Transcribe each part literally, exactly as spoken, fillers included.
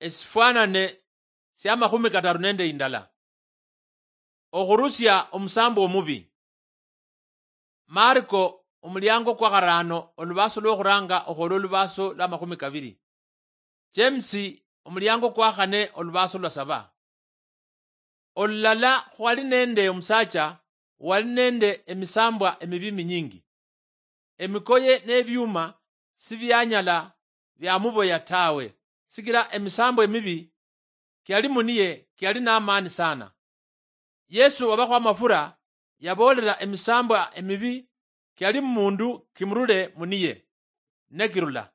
Esifwanane sia makhumi kataru nende indala. Okhurusia omusambo omubi. Marko omuliango kwa kharano olubaso lwokhuranga okhwola olubaso lwa makhumi kabiri. James omuliango kwa khane olubaso lwa saba. Olulala khwali nende omusacha wali nende emisambwa emibi minyingi. Emikoye nebiuma sibianyala biamuboya tawe, sikila emisambwa emibi kiali muniye kiali namani sana. Yesu wabakho amafura yabolela emisambwa emibi kiali mumundu kimurule muniye, nekirula.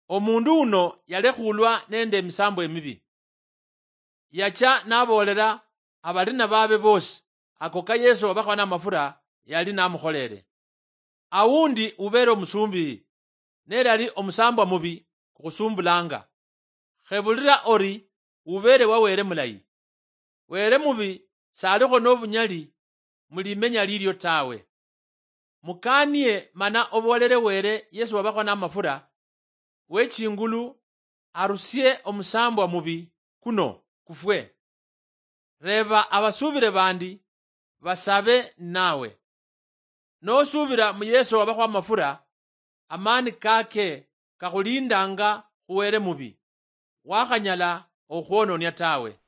Omundu uno yalekhulwa nende emisambwa emibi. Yacha naboolera abalina babe bosi ako ka Yesu wabakhola namafura yali namukholere. Awundi ubeere omusumbi, nelali omusambwa mubi kukhusumbulanga. Khebulira ori ubeere wa Wele mulayi. Wele mubi salikho nobunyali mulimenya lilio tawe. Mukanie mana oboolere Wele Yesu wabakho namafura wechingulu arusie omusambwa mubi kuno kufwe. Reeba abasuubire bandi basabe ninawe. Nosuubira mu Yesu wabakho amafura, amaani kake kakhulindanga khu Wele mubi, wakhanyala okhwononia tawe.